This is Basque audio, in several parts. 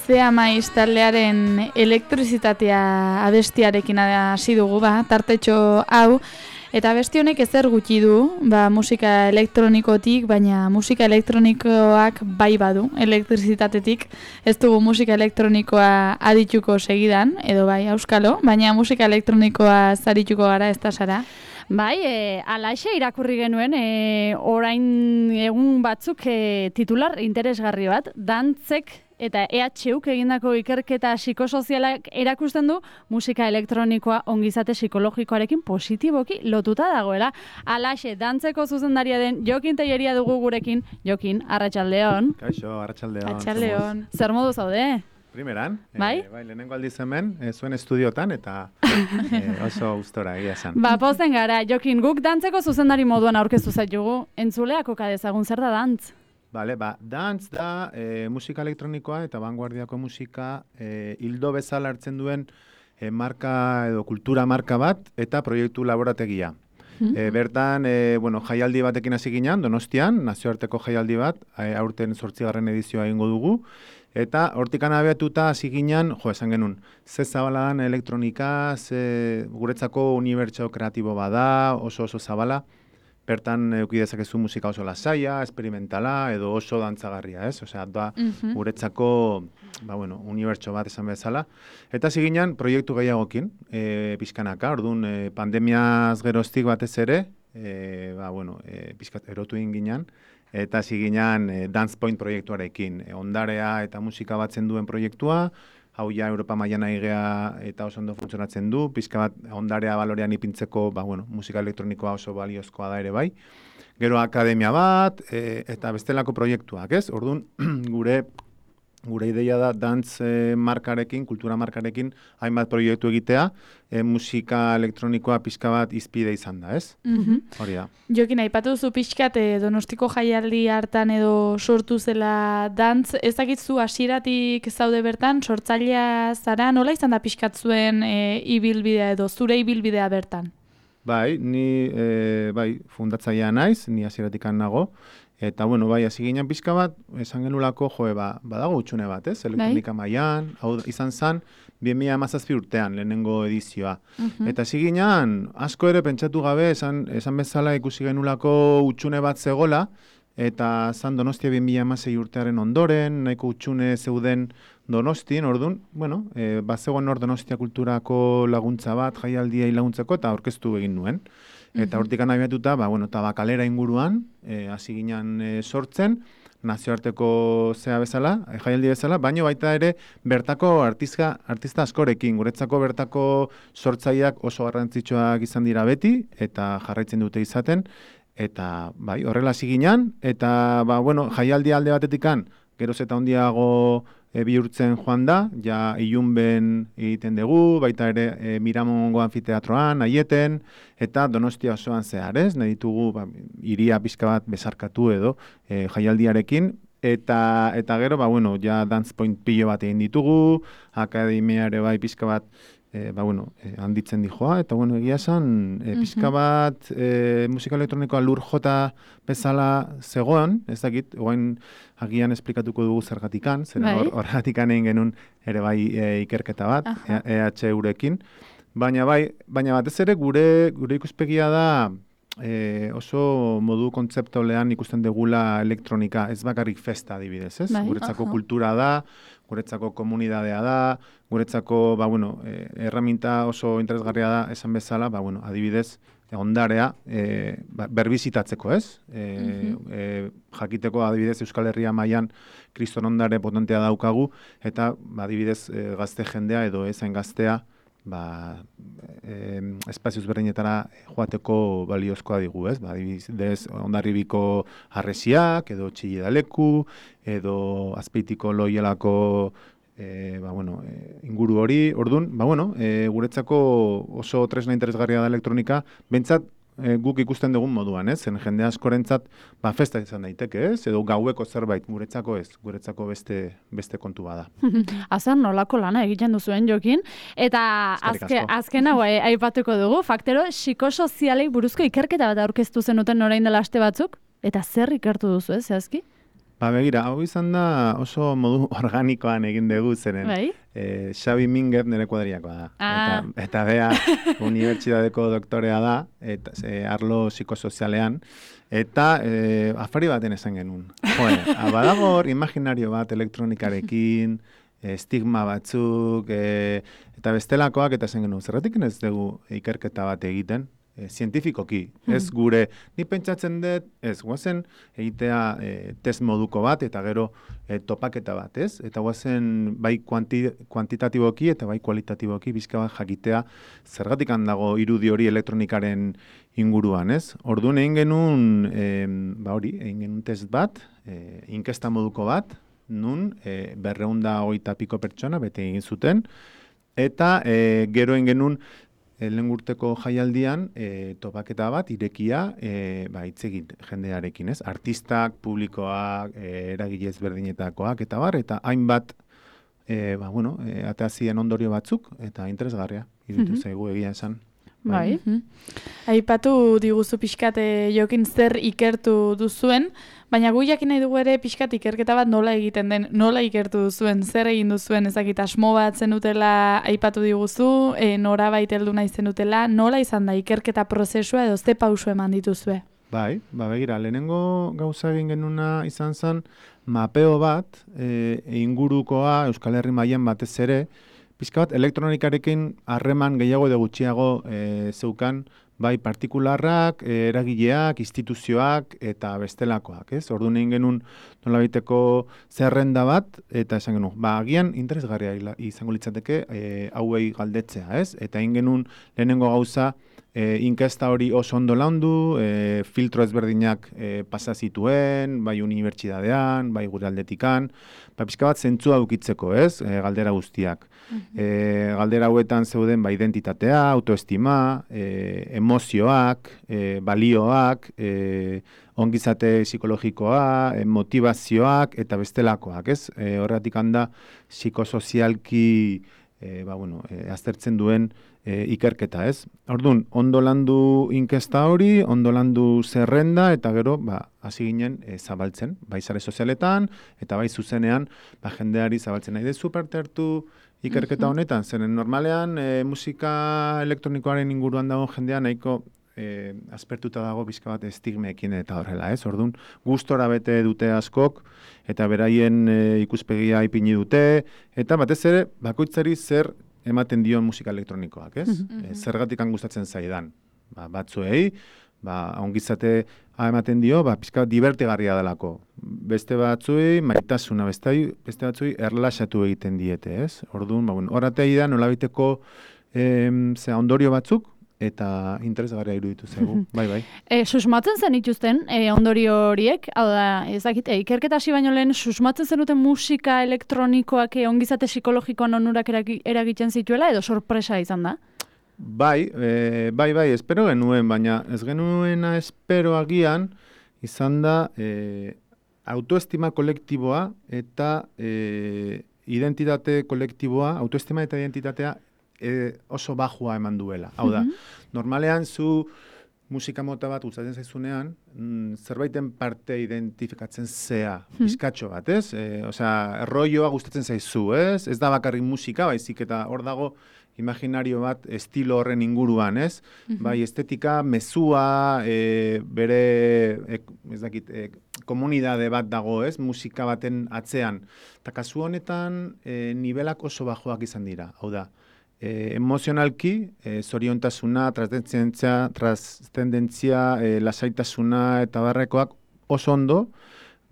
Zea Maiz taldearen elektrizitatea abestiarekin hasi dugu, tartetxo hau, eta abesti honek ezer gutxi du, musika elektronikotik, baina musika elektronikoak bai badu, elektrizitatetik, ez dugu musika elektronikoa adituko segidan, edo bai, auskalo, baina musika elektronikoa zarituko gara, ez da Sara? Bai, alaxe irakurri genuen, orain egun batzuk titular interesgarri bat, dantzek eta EHUk egindako ikerketa psikosozialak erakusten du musika elektronikoa ongizate psikologikoarekin positiboki lotuta dagoela. Alaxe, dantzeko zuzendaria den Jokin Telleria dugu gurekin. Jokin, arratsaldeon. Kaixo, arratsaldeon. Arratsaldeon. Zer modu zaude? Primeran, bai, lehenengo aldiz hemen, zuen estudiotan, eta oso gustora egia esan. Pozen gara, Jokin, guk dantzeko zuzendari moduan aurkeztu zaitugu, entzuleak oka dezagun zer da dantz? Bale, dantz da musika elektronikoa eta vanguardiako musika hildo bezala hartzen duen marka edo kultura marka bat eta proiektu laborategia. Bertan, jaialdi batekin hasi ginen, Donostian, nazioarteko jaialdi bat, aurten 8. edizioa egingo dugu, eta hortikan abiatuta hasi ginen, esan genuen, ze zabala dan elektronika, guretzako unibertso kreatibo bada, oso zabala, bertan eduki dezakezu musika oso lasaia, experimentala, edo oso dantzagarria, ez? Osea, da guretzako, unibertso bat esan bezala. Eta hasi ginen proiektu gehiagokin, pixkanaka, orduan pandemiaz geroztik batez ere, pixkat erotu egin ginen, eta hasi ginen Dance Point proiektuarekin, ondarea eta musika batzen duen proiektua, hau ja Europa mailan aigea eta oso ondo funtzionatzen du, pixka bat ondarea balorean ipintzeko, musika elektronikoa oso baliozkoa da ere bai. Gero akademia bat, eta bestelako proiektuak, ez? Orduan, gure ideia da dance markarekin, kultura markarekin, hainbat proiektu egitea, musika elektronikoa pixka bat izpide izan da, ez? Hori da. Jokin, aipatu duzu pixkat Donostiko jaialdi hartan edo sortu zela dantz, ez dakitzu hasieratik zaude bertan, sortzailea zara, nola izan da pixkat zuen ibilbidea edo zure ibilbidea bertan? Bai, ni fundatzailea naiz, ni hasieratik nago, eta, hasi ginen pixka bat, esan genulako, badago utxune bat, ez? Elektronika mailan, hau izan zen, 2017 urtean, lehenengo edizioa. Eta hasi ginen, asko ere pentsatu gabe, esan bezala ikusi genulako utxune bat zegola, eta zan Donostia 2016 urtearen ondoren, nahiko utxune zeuden Donostien, orduan, bazegoen hor Donostia kulturako laguntza bat, jaialdiei laguntzeko, eta aurkeztu egin nuen. Eta hortikan abiatuta, Tabakalera inguruan, hasi ginen sortzen, nazioarteko jaialdi bezala, baina baita ere bertako artista askorekin, guretzako bertako sortzaileak oso garrantzitsuak izan dira beti, eta jarraitzen dute izaten, eta horrela hasi ginen, eta jaialdi alde batetikan, geroz eta handiago bihurtzen joan da, ja ilunben egiten dugu, baita ere Miramongo anfiteatroan, Aieten, eta Donostia osoan zehar, ez? Nahi ditugu hiria pixka bat bezarkatu edo jaialdiarekin, eta gero, ja Dance Point pilo bat egin ditugu, akademia ere pixka bat handitzen dijoa, eta egia esan, pixka bat musika elektronikoa lur jota bezala zegoen, ez dakit, oain agian esplikatuko dugu zergatikan, horregatikan egin genuen ere ikerketa bat, EHUrekin, baina batez ere gure ikuspegia da oso modu kontzeptualean ikusten degula elektronika, ez bakarrik festa adibidez, ez? Guretzako kultura da, guretzako komunidadea da, guretzako, erraminta oso interesgarria da, esan bezala, adibidez, ondarea berbizitatzeko, ez? Jakiteko, adibidez, Euskal Herria mailan kriston ondare potentea daukagu, eta, adibidez, gazte jendea edo ezain gaztea, espazioz berdinetara joateko baliozkoa digu, ez? Adibidez, Hondarribiko harresiak, edo Txillidaleku, edo Azpeitiko Loielako inguru hori, orduan, guretzako oso tresna interesgarria da elektronika, bentsat guk ikusten dugun moduan, ez? Zen jende askorentzat festa izan daiteke, ez? Edo gaueko zerbait, guretzako ez, guretzako beste kontu bada. Azan nolako lana egiten duzuen Jokin, eta azken hau aipatuko dugu, faktero psikosozialei buruzko ikerketa bat aurkeztu zenuten orain dela aste batzuk, eta zer ikertu duzu, ez, zehazki? Begira, hau izan da oso modu organikoan egin dugu zeren. Bai? Xabi Minguez nire kuadriakoa da. Eta bea unibertsitateko doktorea da, eta arlo psikosozialean, eta afari baten esan genuen. Badago hor imaginario bat elektronikarekin, estigma batzuk, eta bestelakoak, eta esan genuen, zerratik ez dugu ikerketa bat egiten, zientifikoki, ez gure, ni pentsatzen dut, ez guazen egitea test moduko bat, eta gero topaketa bat, ez? Eta guazen bai kuantitatiboki eta bai kualitatiboki bizka bat jakitea zergatik handago irudi hori elektronikaren inguruan, ez? Orduan egin genuen, egin genuen test bat, inkesta moduko bat, nun 200 piko pertsona bete egin zuten, eta gero egin genuen lehen urteko jaialdian topaketa bat irekia hitz egin jendearekin, ez? Artistak, publikoak, eragile ezberdinetakoak eta bar, eta hainbat atazien ondorio batzuk eta interesgarria iruditu zaigu egia esan. Bai. Aipatu diguzu pixkat Jokin zer ikertu duzuen, baina gu jakin nahi dugu ere pixkat ikerketa bat nola egiten den, nola ikertu duzuen, zer egin duzuen, ezakit asmo bat zenutela aipatu diguzu, norabait heldu nahi zenutela, nola izan da ikerketa prozesua edo ze pausu eman dituzue? Bai, begira, lehenengo gauza egin genuna izan zen mapeo bat, ingurukoa Euskal Herri mailan batez ere, pixka bat elektronikarekin harreman gehiago edo gutxiago zeukan, bai partikularrak, eragileak, instituzioak eta bestelakoak, ez? Orduan egin genuen nolabiteko zerrenda bat, eta esan genuen, agian interesgarria izango litzateke hauei galdetzea, ez? Eta egin genuen lehenengo gauza, inkesta hori oso ondo landu, filtro ezberdinak pasa zituen, bai unibertsitatean, bai gure aldetikan, pixka bat zentzua ukitzeko, ez? Galdera guztiak. Galdera hauetan zeuden identitatea, autoestima, emozioak, balioak, ongizate psikologikoa, motivazioak eta bestelakoak, ez? Horregatik handa psikosozialki aztertzen duen ikerketa, ez? Orduan, ondo landu inkesta hori, ondo landu zerrenda, eta gero, hasi ginen zabaltzen, bai sare sozialetan, eta bai zuzenean, jendeari zabaltzen nahi dezu parte hartu ikerketa honetan, zeren normalean musika elektronikoaren inguruan dago jendea nahiko aspertuta dago bizka bat estigmeekin eta horrela, ez? Orduan, gustora bete dute askok, eta beraien ikuspegia ipini dute, eta batez ere, bakoitzari zer ematen dion musika elektronikoak, ez? Zergatik gustatzen zaidan. Batzuei, ongizate ematen dio, pixka divertigarria delako. Beste batzuei, maitasuna, beste batzuei erlaxatu egiten diete, ez? Orduan, horatei da nolabiteko ondorio batzuk, eta interesgarria iruditu zaigu, bai. Susmatzen zen ituzten ondorio horiek, hau da, ezakit, ikerketa hasi baino lehen susmatzen zenuten musika elektronikoak ongizate psikologikoan onurak eragiten zituela, edo sorpresa izan da? Bai, espero genuen, baina ez genuena espero agian izan da autoestima kolektiboa eta identitate kolektiboa, autoestima eta identitatea oso bajua eman duela. Hau da, normalean zu musika mota bat gustatzen zaizunean, zerbaiten parte identifikatzen zea, bizkatxo bat, ez? Erroioa gustatzen zaizu, ez? Ez da bakarrik musika, baizik eta hor dago imaginario bat estilo horren inguruan, ez? Bai, estetika, mezua, bere, komunidade bat dago, ez? Musika baten atzean. Eta kasu honetan, nivelak oso bajoak izan dira, hau da. Emozionalki, zoriontasuna, trascendentzia, lasaitasuna eta barrekoak oso ondo,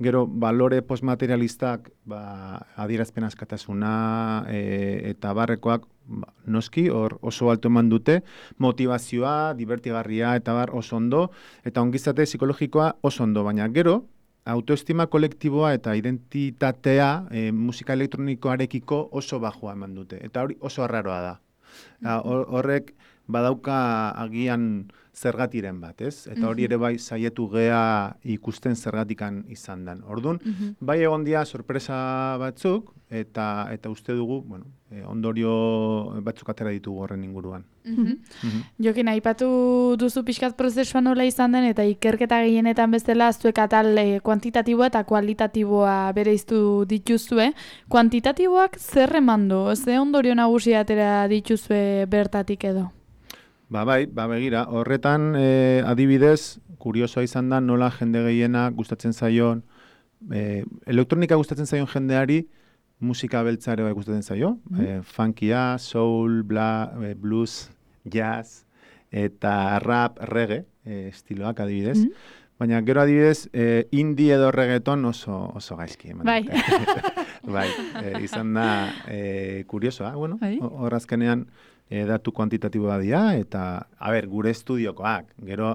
gero balore postmaterialistak adierazpen askatasuna eta barrekoak noski hor oso alto eman dute, motivazioa, divertigarria eta bar oso ondo, eta ongizate psikologikoa oso ondo, baina gero, autoestima kolektiboa eta identitatea musika elektronikoarekiko oso bajua eman dute. Eta hori oso arraroa da. Horrek badauka agian zergatiren bat, ez? Eta hori ere bai saietu gea ikusten zergatikan izan dan. Orduan, bai egon dia sorpresa batzuk, eta uste dugu, bueno, ondorio batzuk atera ditugu horren inguruan. Jokin, aipatu duzu pixkat prozesua nola izan den, eta ikerketa gehienetan bezala zuek atal kuantitatiboa eta kualitatiboa bereiztu dituzue. Kuantitatiboak zer eman du? Ze ondorio nagusia atera dituzue bertatik edo? Bai, begira, horretan adibidez, kuriosoa izan da nola jende gehiena gustatzen zaion, elektronika gustatzen zaion jendeari, musika beltza ere bai gustatzen zaio, funkia, soul, blues, jazz, eta rap, reggae, estiloak adibidez. Baina gero adibidez, indie edo reggaeton oso gaizki. Bai. Bai, izan da kuriosoa, bueno, horrazkenean datu kuantitatiboa dira, eta, gure estudiokoak, gero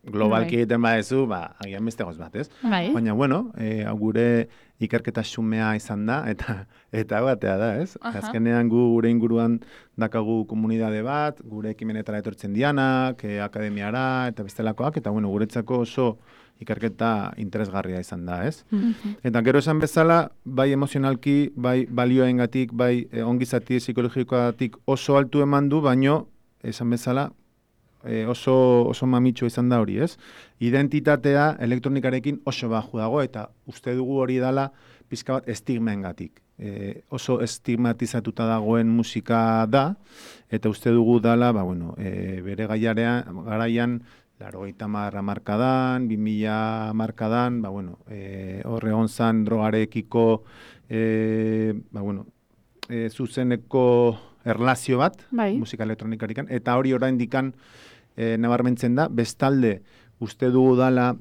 globalki egiten badezu, agian beste goz bat, ez? Baina, bueno, gure ikerketa xumea izan da, eta batea da, ez? Azkenean gure inguruan dakagu komunidade bat, gure ekimenetara etortzen dianak, akademiara, eta bestelakoak, eta, bueno, guretzako oso ikerketa interesgarria izan da, ez? Eta gero esan bezala, bai emozionalki, bai balioengatik, bai ongizati psikologikoatik oso altu eman du, baino, esan bezala, oso mamitxo izan da hori, ez? Identitatea elektronikarekin oso baju dago, eta uste dugu hori dala pizka bat estigmengatik. Oso estigmatizatuta dagoen musika da, eta uste dugu dala, bere garaian, 80 hamarkadan, 2000 hamarkadan, horre onzan drogarekiko, zuzeneko erlazio bat, musika elektronikarikan, eta hori orain dikan nabarmentzen da, bestalde uste dugu dala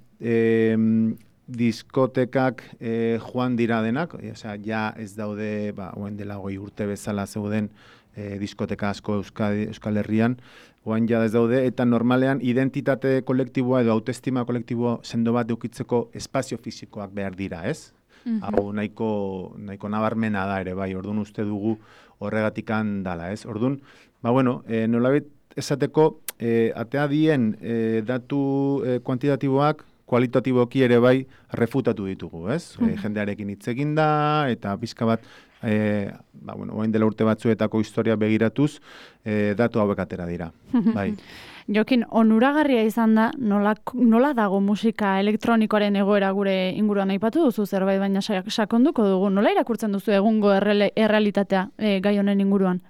diskotekak joan dira denak, ja ez daude, oen dela 20 urte bezala zeuden diskoteka asko Euskal Herrian, oen ja ez daude, eta normalean identitate kolektiboa edo autoestima kolektiboa sendo bat eukitzeko espazio fisikoak behar dira, ez? Hau nahiko nabarmena da ere, bai, orduan uste dugu horregatikan dala, ez? Orduan, nolabait esateko, atea dien datu kuantitatiboak, kualitatiboki ere bai refutatu ditugu, ez? Jendearekin hitz egin da, eta pizka bat, oain dela urte batzuetako historia begiratuz, datu hauek atera dira, bai. Jokin, onuragarria izan da, nola dago musika elektronikoaren egoera gure inguruan aipatu duzu zerbait, baina sakonduko dugu, nola irakurtzen duzu egungo errealitatea gai honen inguruan?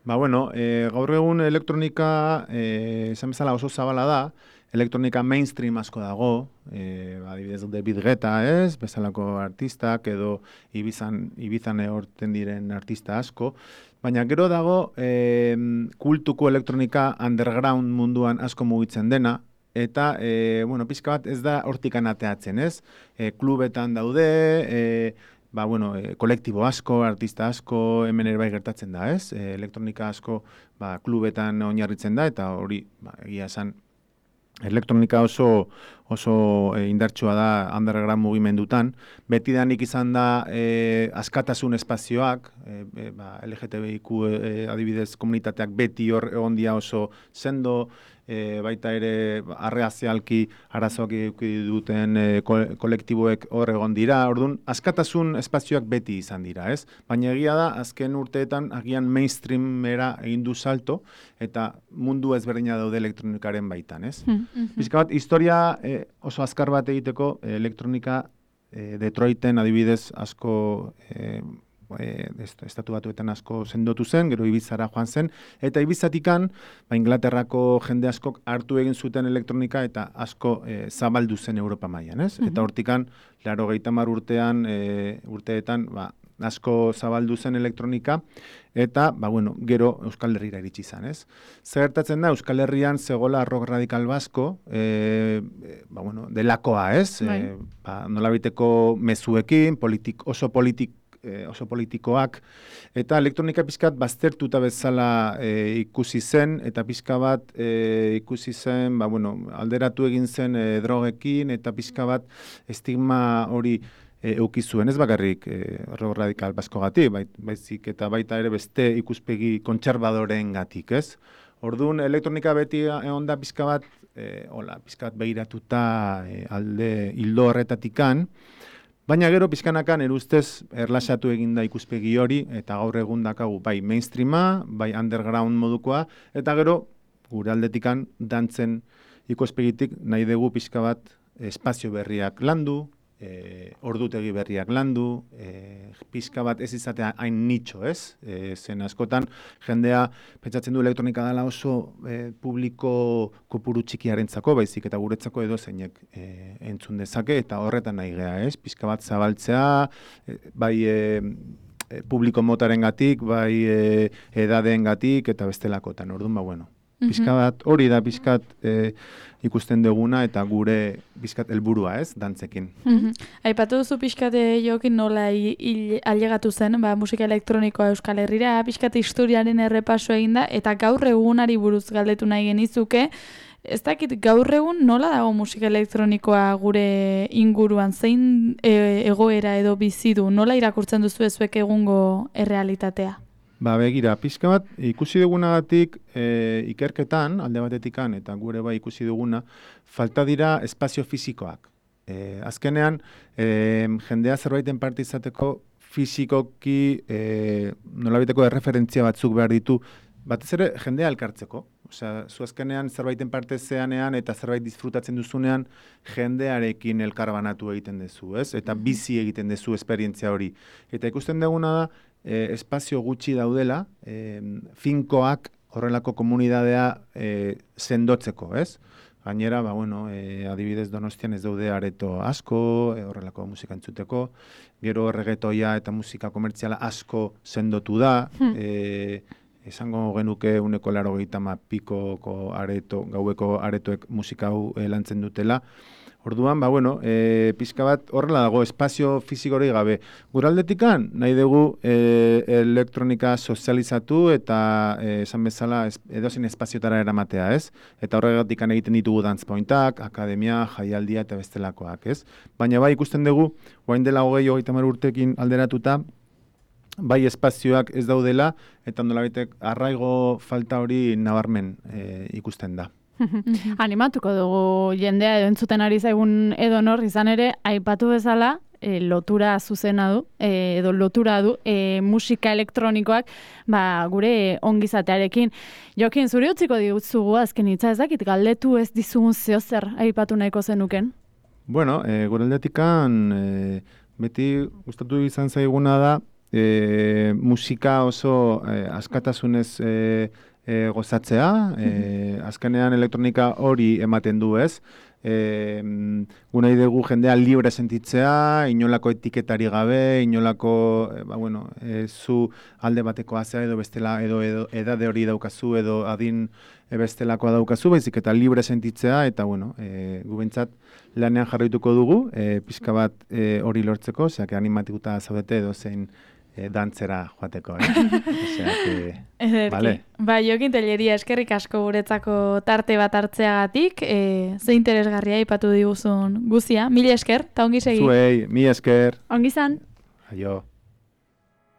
Gaur egun elektronika, esan bezala oso zabala da, elektronika mainstream asko dago, adibidez David Guetta, ez, bezalako artistak, edo Ibizan horten diren artista asko, baina gero dago kultuko elektronika underground munduan asko mugitzen dena, eta, pizka bat ez da hortikan ateatzen, ez? Klubetan daude, kolektibo asko, artista asko, hemen ere bai gertatzen da, ez? Elektronika asko klubetan oinarritzen da, eta hori, egia esan, elektronika oso indartsua da underground mugimendutan. Betidanik izan da askatasun espazioak, LGTBIQ adibidez komunitateak beti hor egon dira oso sendo, baita ere arreazialki arazoak eduki duten kolektiboek hor egon dira. Orduan, askatasun espazioak beti izan dira, ez? Baina egia da, azken urteetan agian mainstreamera egin du salto, eta mundu ezberdina daude elektronikaren baitan, ez? Bizka bat, historia oso azkar bat egiteko, elektronika Detroiten adibidez asko estatu batuetan asko sendotu zen, gero Ibizara joan zen, eta Ibizatikan, Inglaterrako jende askok hartu egin zuten elektronika eta asko zabaldu zen Europa mailan, ez? Eta hortikan, 80 urteetan, asko zabaldu zen elektronika, eta, gero Euskal Herrira iritsi izan, ez? Zer gertatzen da, Euskal Herrian zegoela rock radikal basko, delakoa, ez? Nolabiteko mezuekin, oso politikoak, eta elektronika pizkat baztertuta bezala ikusi zen, eta pizka bat ikusi zen, alderatu egin zen drogekin, eta pizka bat estigma hori eukizuen, ez bakarrik rock radikal baskogatik, baizik eta baita ere beste ikuspegi kontserbadoreen gatik, ez? Orduan, elektronika beti egon da pizka bat begiratuta alde hildo horretatikan, Baina gero pizkanakan erustez erlaxatu eginda ikuspegi hori, eta gaur egun dakagu bai mainstreama, bai underground modukoa, eta gero gure aldetikan dantzen ikuspegitik nahi dugu pizka bat espazio berriak landu, ordutegi berriak landu, pizka bat ez izatea hain nitxo, ez? Zen askotan jendea pentsatzen du elektronika dela oso publiko kopuru txikiarentzako, baizik eta guretzako edo zeinek entzun dezake, eta horretan nahi gea, ez? Pizka bat zabaltzea, bai publiko motarengatik, bai edadeengatik eta bestelakotan. Orduan, bueno, pizka bat, hori da pizkat ikusten duguna eta gure pizkat helburua, ez, dantzekin. Aipatu duzu pizkat Jokin nola ailegatu zen, musika elektronikoa Euskal Herrira, pizkat historiaren errepaso eginda, eta gaur egunari buruz galdetu nahi genizuke, ez dakit gaur egun nola dago musika elektronikoa gure inguruan, zein egoera edo bizi du, nola irakurtzen duzu zuek egungo errealitatea? Begira, pizka bat ikusi dugunagatik ikerketan, alde batetikan, eta gure bai ikusi duguna, falta dira espazio fisikoak. Azkenean, jendea zerbaiten parte izateko fisikoki nolabiteko erreferentzia batzuk behar ditu, batez ere jendea elkartzeko. Osea, zu azkenean zerbaiten parte zeanean eta zerbait disfrutatzen duzunean jendearekin elkarbanatu egiten duzu, ez? Eta bizi egiten duzu esperientzia hori. Eta ikusten duguna da, espazio gutxi daudela, finkoak horrelako komunidadea sendotzeko, ez? Gainera, adibidez Donostian ez daude areto asko, horrelako musika entzuteko, gero reggaetoia eta musika komertziala asko sendotu da, esango genuke 80 pikoko areto, gaueko aretoek musika hau lantzen dutela. Orduan, pizka bat horrela dago, espazio fizikori gabe. Guraldetikan, nahi dugu elektronika sozializatu eta esan bezala edozein espaziotara eramatea, ez? Eta horregatikan egiten ditugu dance pointak, akademia, jaialdia eta bestelakoak, ez? Baina bai ikusten dugu, orain dela 20-30 urtekin alderatuta, bai espazioak ez daudela, eta nolabitek arraigo falta hori nabarmen ikusten da. Animatuko dugu jendea edo entzuten ari zaigun edonor izan ere, aipatu bezala, lotura zuzena du, edo lotura du, musika elektronikoak, gure ongizatearekin. Jokin, zuri utziko diguzugu azken hitza ez dakit, galdetu ez dizugun zeozer aipatu nahiko zenuken? Bueno, gure aldetikan, beti gustatu izan zaiguna da, musika oso askatasunez gozatzea, azkenean elektronika hori ematen du, ez? Gunai dugu jendea libre sentitzea, inolako etiketari gabe, inolako, zu alde bateko azea edo bestela, edo edade hori daukazu, edo adin bestelakoa daukazu, baizik eta libre sentitzea, eta gubentzat lanean jarraituko dugu, pizka bat hori lortzeko, zeak animatikuta zaudete edo zein dantzera joateko. Vale. Jokin Telleria, eskerrik asko guretzako tarte bat hartzeagatik, ze interesgarria aipatu diguzun guzia. Mila esker, eta ongi segi. Zuei, mila esker. Ongi zan. Aio.